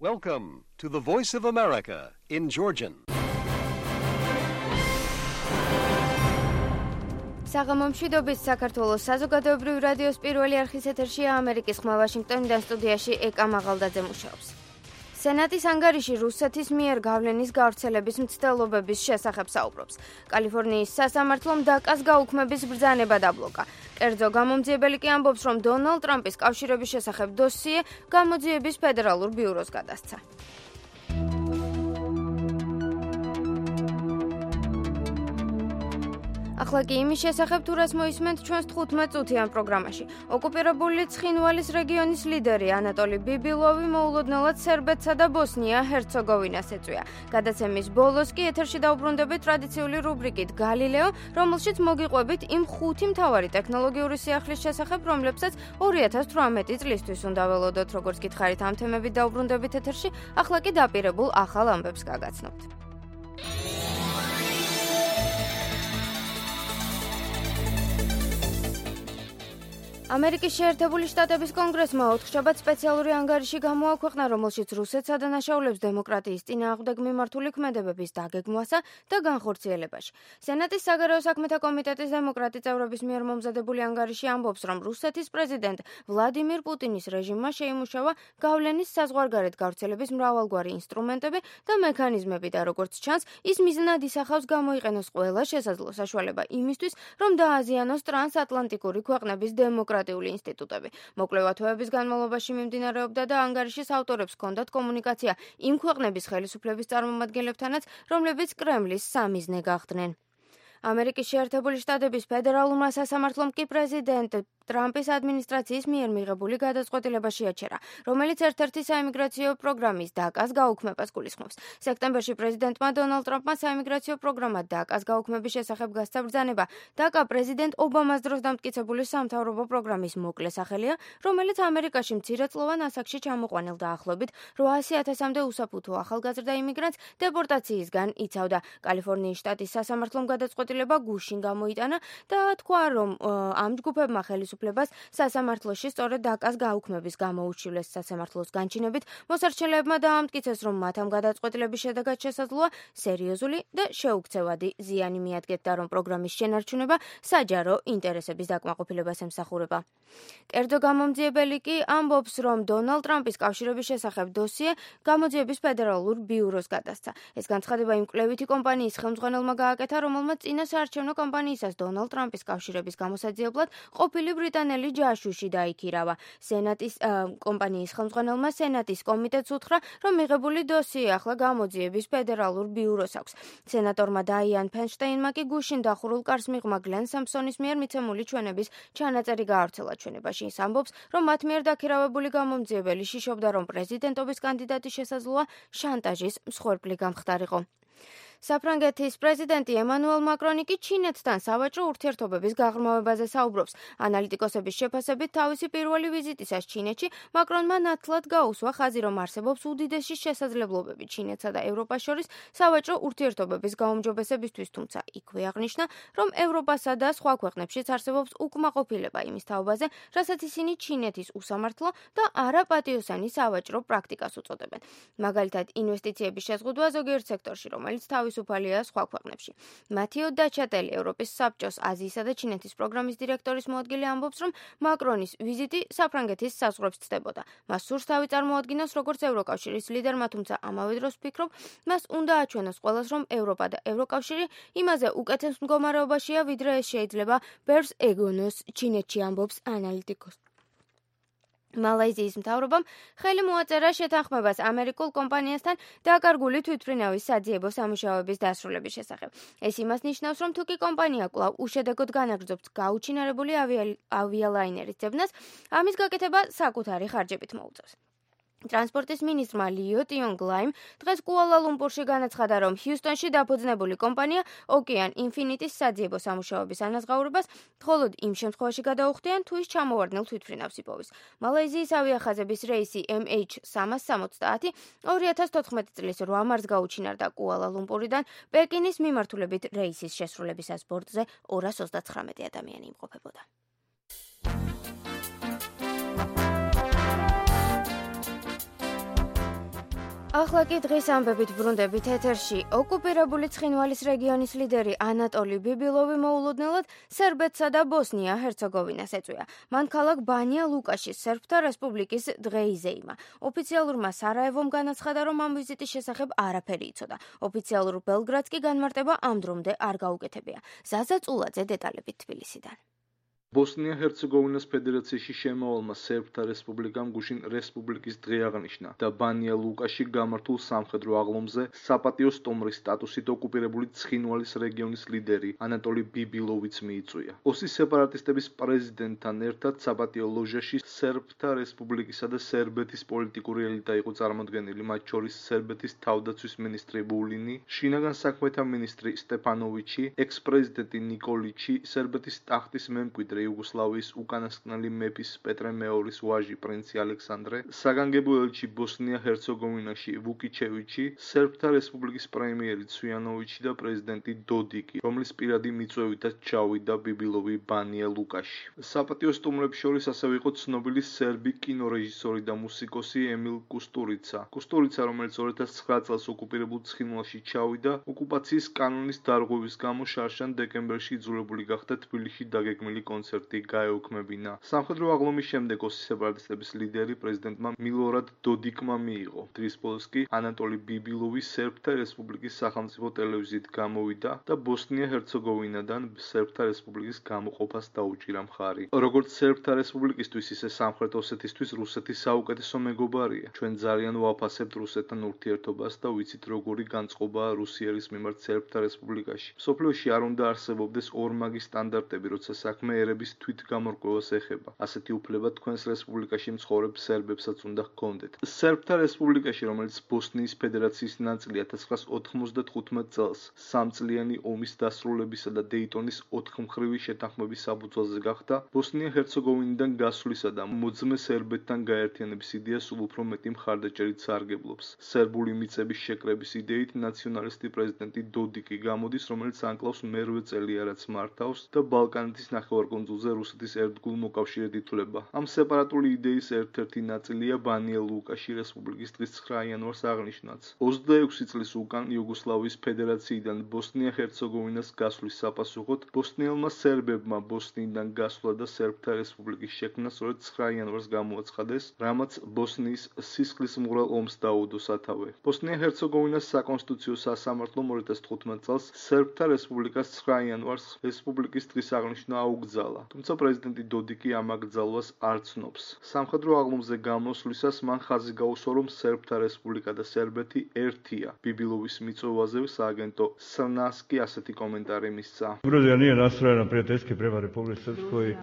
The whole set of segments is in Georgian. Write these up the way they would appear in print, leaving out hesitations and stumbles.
Welcome to the Voice of America in Georgian. საღამომშვიდობის საქართველოს საზოგადოებრივი რადიოს პირველი არხის ეთერშია ამერიკის ხმა ვაშინგტონიდან სტუდიაში ეკა მაღალდაძე მუშაობს. სენატის ანგარიში რუსეთის მიერ გავლენის გავრცელების მცდელობების შესახებ საუბრობს. კალიფორნიის სასამართლომ დაკას გაუქმების ბრძანება დაბლოკა. კერძო გამომძიებელი კი ამბობს, რომ დონალდ ტრამპის კავშირების შესახებ დოსიე გამოძიების ფედერალურ ბიუროს გადასცა. ახლა კი იმის შესახებ თუ რას მოისმენთ ჩვენს 15 წუთიან პროგრამაში. ოკუპირებული ცხინვალის რეგიონის ლიდერი ანატოლი ბიბილოვი მოულოდნელად სერბეთსა და ბოსნია-ჰერცეგოვინას ეწვია. გადაცემის ბოლოს კი ეთერში დაუბრუნდებით ტრადიციული რუბრიკით გალილეო, რომელშიც მოგიყვებით იმ 5 მთავარი ტექნოლოგიური სიახლის შესახებ, რომლებსაც 2018 წლისთვის უნდა ველოდოთ. როგორც გითხარით, ამ თემებით დაუბრუნდებით ეთერში, ახლა კი დაპირებულ ახალ ამბებს გაგაცნობთ. ამერიკის შეერთებული შტატების კონგრესმა ოთხშაბათ სპეციალური ანგარიში გამოაქვეყნა, რომელშიც რუსეთსა და ნაშაულებს დემოკრატიის წინააღმდეგ მიმართული ქმედებების დაგეგმვასა და განხორციელებაში. სენატის საგარეო საქმეთა კომიტეტის დემოკრატი წევრების მიერ მომზადებული ანგარიში ამბობს, რომ რუსეთის პრეზიდენტ ვლადიმირ პუტინის რეჟიმმა შეიმუშავა გავლენის საზღვარგარეთ გავრცელების მრავალგვარი ინსტრუმენტები და მექანიზმები და როგორც ჩანს, ის მიზნად ისახავს გამოიყენოს ყველა შესაძლო საშუალება იმისთვის, რომ დააზიანოს ტრანსატლანტიკური ქვეყნების დემოკრატიული ინსტიტუტები. მოკლევა თვეების განმავლობაში მიმდინარეობდა და ანგარიშის ავტორებს ჰქონდათ კომუნიკაცია იმ ქვეყნების ხელისუფლების წარმომადგენლებთანაც, რომლებიც კრემლის სამიზნე გახდნენ. ამერიკის შეერთებული შტატების ფედერალურმა სასამართლომ კი პრეზიდენტ ტრამპის ადმინისტრაციის მიერ მიღებული გადაწყვეტილება შეაჩერა, რომელიც ერთ-ერთი საიმიგრაციო პროგრამის დაკას გაუქმებას გულისხმობს. სექტემბერში პრეზიდენტმა დონალდ ტრამპმა საიმიგრაციო პროგრამა დაკას გაუქმების შესახებ გასცა ბრძანება. დაკა პრეზიდენტ ობამას დროს დამტკიცებული სამთავრობო პროგრამის მოკლე სახელია, რომელიც ამერიკაში მცირეწლოვან ასაკში ჩამოყვანილ დაახლოებით 800,000-მდე უსაფუთო ახალგაზრდა იმიგრანტს დეპორტაციისგან იცავდა. კალიფორნიის შტატის სასამართლომ გადაწყვეტილება გუშინ გამოიტანა და თქვა, რომ ამ ჯგუფებმა ხელისუფლებას სასამართლოში სწორედ დაკას გაუქმების გამოუჩივლეს. სასამართლოს განჩინებით მოსარჩელეებმა დაამტკიცეს, რომ მათ ამ გადაწყვეტილების შედეგად შესაძლოა სერიოზული და შეუქცევადი ზიანი მიადგეთ და რომ პროგრამის შენარჩუნება საჯარო ინტერესების დაკმაყოფილებას ემსახურება. კერძო გამომძიებელი კი ამბობს, რომ დონალდ ტრამპის კავშირების შესახებ დოსიე გამოძიების ფედერალურ ბიუროს გადასცა. ეს განცხადება იმ კვლევითი კომპანიის ხელმძღვანელმა გააკეთა, რომელმაც წინა საარჩევნო კამპანიისას დონალდ ტრამპის კავშირების გამოსაძიებლად ყოფილი ბრიტანელი ჯაშუში დაიქირავა. სენატის კომპანიის ხელმძღვანელმა სენატის კომიტეტს უთხრა, რომ მიღებული დოსიე ახლა გამოძიების ფედერალურ ბიუროს აქვს. სენატორმა დაიან ფენშტეინმა კი გუშინ დახურულ კარს მიღმა გლენ სამსონის მიერ მიცემული ჩვენების ჩანაწერი გაავრცელა. ჩვენებაში ის ამბობს, რომ მათ მიერ დაქირავებული გამომძიებელი შიშობდა, რომ პრეზიდენტობის კანდიდატი შესაძლოა შანტაჟის მსხვერპლი გამხდარიყო. საფრანგეთის პრეზიდენტი ემანუელ მაკრონი კი ჩინეთთან სავაჭრო ურთიერთობების გაღრმავებაზე საუბრობს. ანალიტიკოსების შეფასებით, თავისი პირველი ვიზიტისას ჩინეთში მაკრონმა ნათლად გაუსვა ხაზი, რომ არსებობს უდიდესი შესაძლებლობები ჩინეთსა და ევროპას შორის სავაჭრო ურთიერთობების გაუმჯობესებისთვის, თუმცა იქვე აღნიშნა, რომ ევროპასა და სხვა ქვეყნებშიც არსებობს უკმაყოფილება იმის თაობაზე, რასაც ისინი ჩინეთის უსამართლო და არაპატიოსანი სავაჭრო პრაქტიკას უწოდებენ. მაგალითად, ინვესტიციების შეზღუდვა ზოგიერთ სექტორში, რომელიც თავისუფალია სხვა ქვეყნებში. მათიო დაჩატელი, ევროპის საბჭოს აზიისა და ჩინეთის პროგრამის დირექტორის მოადგილე ამბობს, რომ მაკრონის ვიზიტი საფრანგეთის საზღვრებს ცდებოდა. მას სურს თავი წარმოადგინოს როგორც ევროკავშირის ლიდერმა, თუმცა ამავე დროს ფიქრობ, მას უნდა აჩვენოს ყველას, რომ ევროპა და ევროკავშირი იმაზე უკეთეს მდგომარეობაშია, ვიდრე ეს შეიძლება ბერს ეგონოს, ჩინეთში ამბობს ანალიტიკოსი. მალაიზიის მთავრობამ ხელი მოაწერა შეთანხმებას ამერიკულ კომპანიასთან დაკარგული თვითმფრინავის საძიებო სამუშაოების დასრულების შესახებ. ეს იმას ნიშნავს, რომ თუკი კომპანია კვლავ უშედეგოდ განაგრძობს გაუჩინარებული ავიალაინერის ძებნას, ამის გაკეთება საკუთარი ხარჯებით მოუწევს. ტრანსპორტის მინისტრმა ლიო ტიონგლაიმ დღეს კუალა-ლუმპურში განაცხადა, რომ ჰიუსტონში დაფუძნებული კომპანია ოკეან ინფინიტის საძიებო სამუშაოების ანაზღაურებას მხოლოდ იმ შემთხვევაში გადაუხდიან, თუ ის ჩამოვარდნილ თვითმფრინავს იპოვის. მალაიზიის ავიახაზების რეისი MH370 2014 წლის 8 მარტს გაუჩინარდა კუალა-ლუმპურიდან პეკინის მიმართულებით რეისის შესრულებისას ბორტზე 229 ადამიანი იმყოფებოდა. ახლა კი დღის ამბებით ბრუნდებით ეთერში. ოკუპირებული ცხინვალის რეგიონის ლიდერი ანატოლი ბიბილოვი მოულოდნელად სერბეთსა და ბოსნია-ჰერცეგოვინას ეწვია. მან ქალაქ ბანია ლუკაშის სერბთა რესპუბლიკის დღე იზეიმა. ოფიციალურმა სარაევომ განაცხადა, რომ ამ ვიზიტის შესახებ არაფერი იცოდა. ოფიციალურ ბელგრადს კი განმარტება ამ დრომდე არ გაუკეთებია. ზაზა წულაძე დეტალებით თბილისიდან. ბოსნია-ჰერცეგოვინას ფედერაციაში შემავალმა სერბთა რესპუბლიკამ გუშინ რესპუბლიკის დღე აღნიშნა და ბანია ლუკაში გამართულ სამხედრო აღლომზე საპატიო სტუმრის სტატუსით ოკუპირებული ცხინვალის რეგიონის ლიდერი ანატოლი ბიბილოვიც მიიწვია. ოსის სეპარატისტების პრეზიდენტთან ერთად საპატიო ლოჟაში სერბთა რესპუბლიკისა და სერბეთის პოლიტიკური ელიტა იყო წარმოდგენილი, მათ შორის სერბეთის თავდაცვის მინისტრი ვულინი, შინაგან საქმეთა მინისტრი სტეფანოვიჩი, ექს-პრეზიდენტი ნიკოლიჩი, სერბეთის ტახტის მემკვიდრე იუგოსლავიის უკანასკნელი მეფის პეტრე მეორის ვაჟი პრინცი ალექსანდრე, საგანგებო ელჩი ბოსნია-ჰერცეგოვინაში ვუკიჩევიჩი, სერბთა რესპუბლიკის პრემიერი ცვიანოვიჩი და პრეზიდენტი დოდიკი, რომლის პირადი მიწვევითაც ჩავიდა ბიბილოვი ბანია ლუკაში. საპატიო სტუმრებს შორის ასევე იყო ცნობილი სერბი კინორეჟისორი და მუსიკოსი ემილ კუსტურიცა. კუსტურიცა, რომელიც 2009 წელს ოკუპირებულ ცხინვალში ჩავიდა, ოკუპაციის კანონის დარღვევის გამო შარშან დეკემბერში იძულებული გახდა თბილისში დაგეგმილი კონცერტი გაეუქმებინა. სამხედრო აღლომის შემდეგ ოსის სეპარატისტების ლიდერი პრეზიდენტმა მილორად დოდიკმა მიიღო. დღის ბოლოს კი ანატოლი ბიბილოვი სერბთა რესპუბლიკის სახელმწიფო ტელევიზიით გამოვიდა და ბოსნია-ჰერცეგოვინადან სერბთა რესპუბლიკის გამოყოფას დაუჭირა მხარი. როგორც სერბთა რესპუბლიკისთვის, ისე სამხრეთ ოსეთისთვის რუსეთი საუკეთესო მეგობარია. ჩვენ ძალიან ვაფასებთ რუსეთთან ურთიერთობას და ვიცით როგორი განწყობაა რუსიერის მიმართ სერბთა რესპუბლიკაში. მსოფლიოში არ უნდა არსებობდეს ორმაგი სტანდარტები, როცა საქმე ერების თვითგამორკვევას ეხება. ასეთი უფლება თქვენს რესპუბლიკაში მცხოვრებ სერბებსაც უნდა ჰქონდეთ. სერბთა რესპუბლიკაში, რომელიც ბოსნიის ფედერაციის ნაწილია 1995 წელს, სამწლიანი ომის დასრულებისა და დეიტონის 4-მხრივი შეთანხმების საფუძველზე გახდა, ბოსნია-ჰერცეგოვინიდან გასვლისა და მოძმე სერბეთთან გაერთიანების იდეა სულ უფრო მეტი მხარდაჭერით სარგებლობს. სერბული მიწების შეკრების იდეით ნაციონალისტი პრეზიდენტი დოდიკი გამოდის, რომელიც ანკლავს მერვე წელია რაც მართავს და ბალკანეთის ნახევარკუნძულზე რუსეთის ერთგულ მოკავშირედ ითვლება. ამ სეპარატული იდეის ერთ-ერთი ნაწილია ბანია ლუკაში რესპუბლიკის დღის 9 იანვარს აღნიშნაც. 26 წლის უკან იუგოსლავიის ფედერაციიდან ბოსნია-ჰერცეგოვინას გასვლის საპასუხოდ ბოსნიელმა სერბებმა ბოსნიიდან გასვლა და სერბთა რესპუბლიკის შექმნა სწორედ 9 იანვარს გამოაცხადეს, რამაც ბოსნიის სისხლისმღვრელ ომს დაუდო სათავე. ბოსნია-ჰერცეგოვინას საკონსტიტუციო სასამართლომ 2015 წელს სერბთა რესპუბლიკას 9 იანვარს რესპუბლიკის დღის აღნიშვნა აუგზალა, თუმცა პრეზიდენტი დოდიკი ამ აკრძალვას არ ცნობს. სამხედრო აღლომზე გამოსვლისას მან ხაზი გაუსვა, რომ სერბთა რესპუბლიკა და სერბეთი ერთია. ბიბილოვის მიწვევაზე სააგენტო სრნასკი ასეთი კომენტარი მისცა.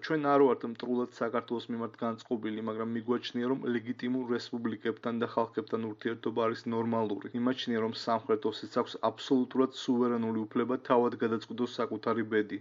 ჩვენ არ ვართ მტრულად საქართველოს მიმართ განწყობილი, მაგრამ მიგვაჩნია, რომ ლეგიტიმურ რესპუბლიკებთან და ხალხებთან ურთიერთობა არის ნორმალური. იმაჩნია, რომ სამხრეთ ოსეთს აქვს აბსოლუტურად სუვერენული უფლება თავად გადაწყვიტოს საკუთარი ბედი.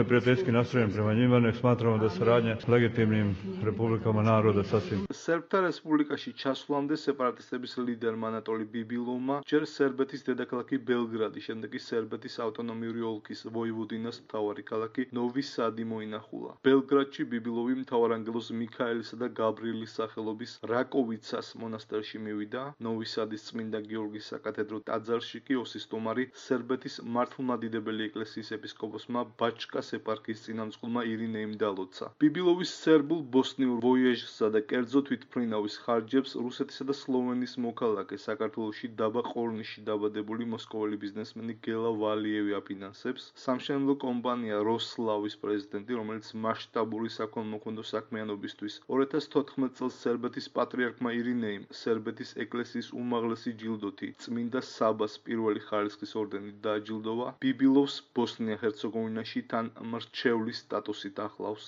Prijateljski nastrojen prema njima, nek smatramo da saradnja s legitimnim republikama naroda sasvim. სერბთა რესპუბლიკაში časvlamde separatistების ლიდერმა ანატოლი ბიბილოვმა ჯერ სერბეთის დედაქალაქი ბელგრადი, შემდეგ კი სერბეთის ავტონომიური ოლქის ვოივოდინას მთავარი ქალაქი ნოვი სადი მოინახულა. ბელგრადში ბიბილოვი მთავარანგელოზ მიქაელისა და გაბრიელის სახელობის რაკოვიცას მონასტერში მივიდა. ნოვი სადის წმინდა გიორგის საკათედრო ტაძარში კი ოსის სტუმარი სერბეთის მართლმადიდებელი ეკლესიის ეპისკოპოსმა ბაჩკას ეპარქიის წინამძღოლმა ირინეიმ დალოცა. ბიბილოვის სერბულ ბოსნიურ ვოიეჟსა და კერძო თვითმფრინავის ხარჯებს რუსეთისა და სლოვენიის მოქალაქე საქართველოში დაბა ყორნიში დაბადებული მოსკოველი ბიზნესმენი გელა ვალიევი აფინანსებს. სამშენებლო კომპანია როსლავის პრეზიდენტი, რომელიც მასშტაბური საქონლმოქმედო საქმიანობისთვის 2014 წელს სერბეთის პატრიარქმა ირინეიმ სერბეთის ეკლესიის უმაღლესი ჯილდოთი წმინდა საბას პირველი ხარისხის ორდენით დააჯილდოვა. ბიბილოვს ბოსნია-ჰერცეგოვინაში თან მრჩევლის სტატუსით ახლავს.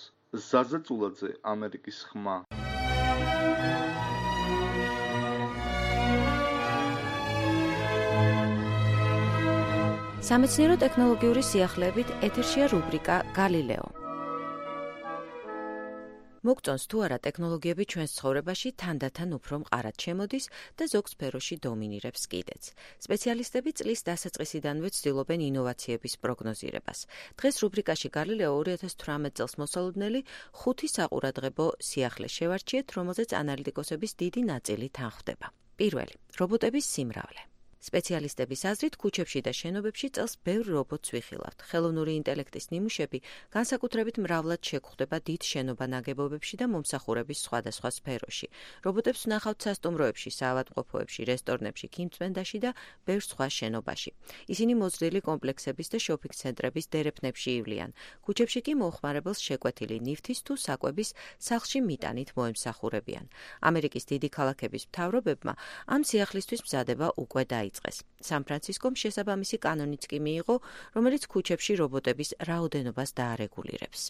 ზაზა წულაძე, ამერიკის ხმა. სამეცნიერო ტექნოლოგიური სიახლეებით ეთერშია რუბრიკა გალილეო. მოგწონს თუ არა ტექნოლოგიები ჩვენს ცხოვრებაში თანდათან უფრო მყარად შემოდის და ზოგ სფეროში დომინირებს კიდეც. სპეციალისტები წლის დასაწყისიდანვე ცდილობენ ინოვაციების პროგნოზირებას. დღეს რუბრიკაში გალილეო 2018 წელს მოსალოდნელი 5 საყურადღებო სიახლე შევარჩიეთ, რომელზეც ანალიტიკოსების დიდი ნაწილი თანხმდება. პირველი, რობოტების სიმრავლე. სპეციალისტების აზრით, ქუჩებში და შენობებში წელს ბევრ რობოტს ვიხილავთ. ხელოვნური ინტელექტის ნიმუშები განსაკუთრებით მრავლად შეგხვდება დიდ შენობა-ნაგებობებში და მომსახურების სხვადასხვა სფეროში. რობოტებს ვნახავთ სასტუმროებში, საავადმყოფოებში, რესტორნებში, ქიმწმენდაში და ბევრ სხვა შენობაში. ისინი მოზრდილი კომპლექსების და შოპინგ ცენტრების დერეფნებში ივლიან. ქუჩებში კი მოხმარებელს შეკვეთილი ნივთის თუ საკვების სახლში მიტანით მოემსახურებიან. ამერიკის დიდი ქალაქების მთავრობებმა ამ სიახლისთვის მზადება უკვე დაიწყეს. სან-ფრანცისკომ შესაბამისი კანონიც კი მიიღო, რომელიც ქუჩებში რობოტების რაოდენობას დაარეგულირებს.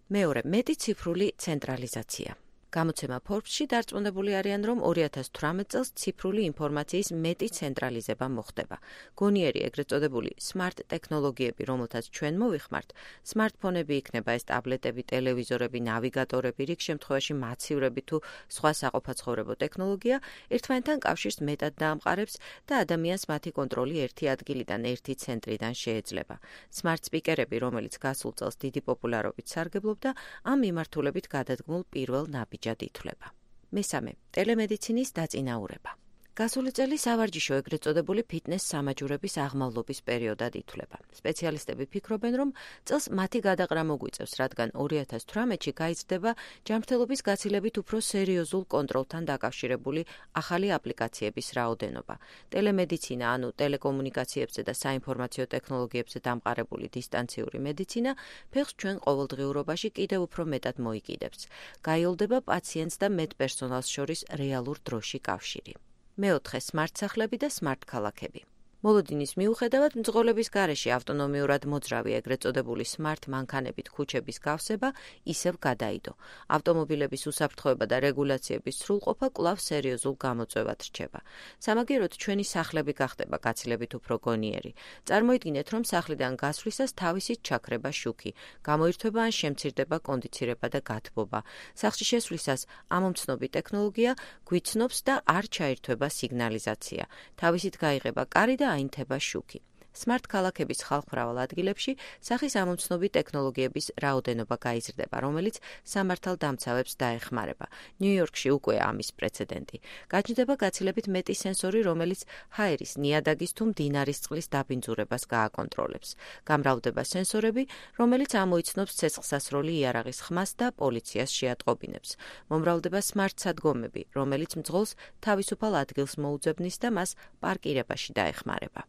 მეორე, მეტი ციფრული ცენტრალიზაცია. გამოცემა Forbes-ში დარწმუნებული არიან, რომ 2018 წელს ციფრული ინფორმაციის მეტი ცენტრალიზება მოხდება. გონიერი ეგრეთ წოდებული smart ტექნოლოგიები, რომელთაც ჩვენ მოვიხმართ, smartphone-ები იქნება ეს ტაბლეტები, ტელევიზორები, ნავიგატორები, რიგ შემთხვევაში მაცივრები თუ სხვა საყოფაცხოვრებო ტექნოლოგია, ერთმანეთთან კავშირს მეტად დაამყარებს და ადამიანს მათი კონტროლი ერთი ადგილიდან, ერთი ცენტრიდან შეეძლება. Smart speaker-ები, რომელიც გასულ წელს დიდი პოპულარობით სარგებლობდა, ამ მიმართულებით გადადგმულ პირველ ნაბიჯად ითვლება. მესამე, ტელემედიცინის დაწინაურება. გასული წელი სავარჯიშო ეგრეთ წოდებული ფიტნეს სამაჯურების აღმავლობის პერიოდად ითვლება. სპეციალისტები ფიქრობენ, რომ წელს მათი გადაყრა მოგვიწევს, რადგან 2018-ში გაიზრდება ჯანმრთელობის გაცილებით უფრო სერიოზულ კონტროლთან დაკავშირებული ახალი აპლიკაციების რაოდენობა. ტელემედიცინა, ანუ ტელეკომუნიკაციებზე და საინფორმაციო ტექნოლოგიებზე დამყარებული დისტანციური მედიცინა ფეხს ჩვენ ყოველდღიურობაში კიდევ უფრო მეტად მოიკიდებს. გაიოლდება პაციენტს და მედპერსონალს შორის რეალურ დროში კავშირი. მეოთხე, smart სახლები და smart ქალაქები. მოლოდინის მიუხედავად მძღოლების გარეშე ავტონომიურად მოძრავი ეგრეთ წოდებული smart მანქანებით ქუჩების გავსება ისევ გადაიდო. ავტომობილების უსაფრთხოება და რეგულაციების სრულყოფა კვლავ სერიოზულ გამოწვევად რჩება. სამაგიეროდ ჩვენი სახლები გახდება გაცილებით უფრო გონიერი. წარმოიდგინეთ, რომ სახლიდან გასვლისას თავისით ჩაქრება შუქი, გამოირთვება ან შემცირდება კონდიცირება და გათბობა. სახლში შესვლისას ამომცნობი ტექნოლოგია გვიცნობს და არ ჩაირთვება სიგნალიზაცია. თავისით გაიღება კარი და აინთება შუქი. Smart ქალაქების ხალხმრავალ ადგილებში სახის ამომცნობი ტექნოლოგიების რაოდენობა გაიზრდება, რომელიც სამართალდამცავებს დაეხმარება. ნიუ-იორკში უკვე ამის პრეცედენტი. გაჩნდება გაცილებით მეტი სენსორი, რომელიც ჰაერის, ნიადაგის თუ მდინარის წყლის დაბინძურებას გააკონტროლებს. გამრავლდება სენსორები, რომელიც ამოიცნობს ცეცხლსასროლი იარაღის ხმას და პოლიციას შეატყობინებს. მომრავლდება smart სადგომები, რომელიც მძღოლს თავისუფალ ადგილს მოუძებნის და მას პარკირებაში დაეხმარება.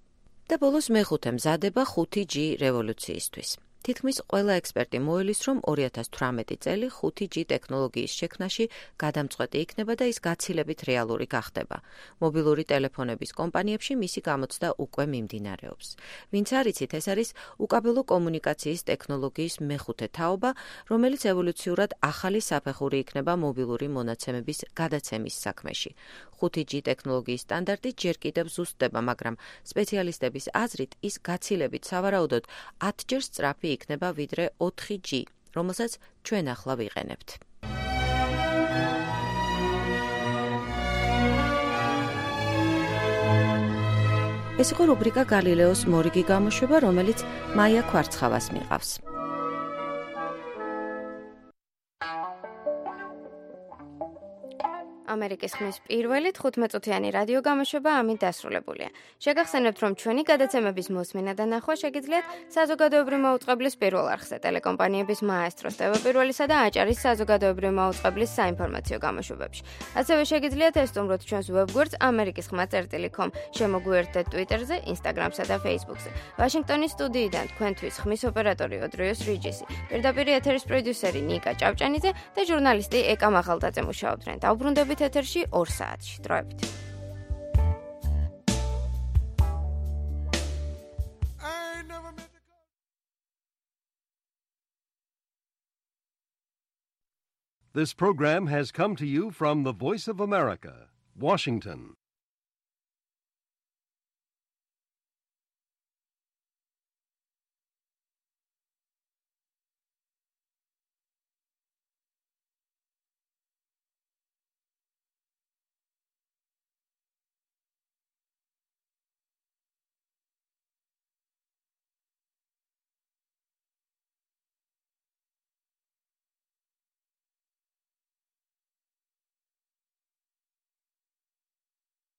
და ბოლოს მეხუთე, მზადება 5G რევოლუციისთვის. თითქმის ყველა ექსპერტი მოელის, რომ 2018 წელი 5G ტექნოლოგიის შექმნაში გადამწყვეტი იქნება და ის გაცილებით რეალური გახდება. მობილური ტელეფონების კომპანიებში მისი გამოცდა უკვე მიმდინარეობს. ვინც არ იცით, ეს არის უკაბელო კომუნიკაციის ტექნოლოგიის მეხუთე თაობა, რომელიც ევოლუციურად ახალი საფეხური იქნება მობილური მონაცემების გადაცემის საქმეში. 5G ტექნოლოგიის სტანდარტი ჯერ კიდევ ზუსტდება, მაგრამ სპეციალისტების აზრით ის გაცილებით სავარაუდოდ 10-ჯერ სწრაფი იქნება ვიდრე 4G, რომელსაც ჩვენ ახლა ვიყენებთ. ეს იყო რუბრიკა გალილეოს მორიგი გამოშვება, რომელიც მაია ქვარცხავას მიყავს. ამერიკის ხმის პირველი 15-წუთიანი რადიო გამოშვება ამით დასრულებულია. შეგახსენებთ, რომ ჩვენი გადაცემების მოსმენა და ნახვა შეგიძლიათ საზოგადოებრივი მაუწყებლის პირველ არხზე, ტელეკომპანიების მაესტროს, TV პირველისა და აჭარის საზოგადოებრივი მაუწყებლის საინფორმაციო გამოშვებებში. ასევე შეგიძლიათ ესტუმროთ ჩვენს ვებგვერდს amerikisxma.com, შემოგვიერთდეთ Twitter-ზე, Instagram-სა და Facebook-ზე. ვაშინგტონის სტუდიიდან თქვენთვის ხმის ოპერატორი ოდრიოს რიჯისი, პირდაპირ ეთერის პროდიუსერი ნიკა ჭავჭანიძე და ჟურნალისტი ეკა მაღალდაძე მუშაობდნენ. დაუბრუნდებით ეთერში 2 საათში. დროებით. This program has come to you from the Voice of America, Washington.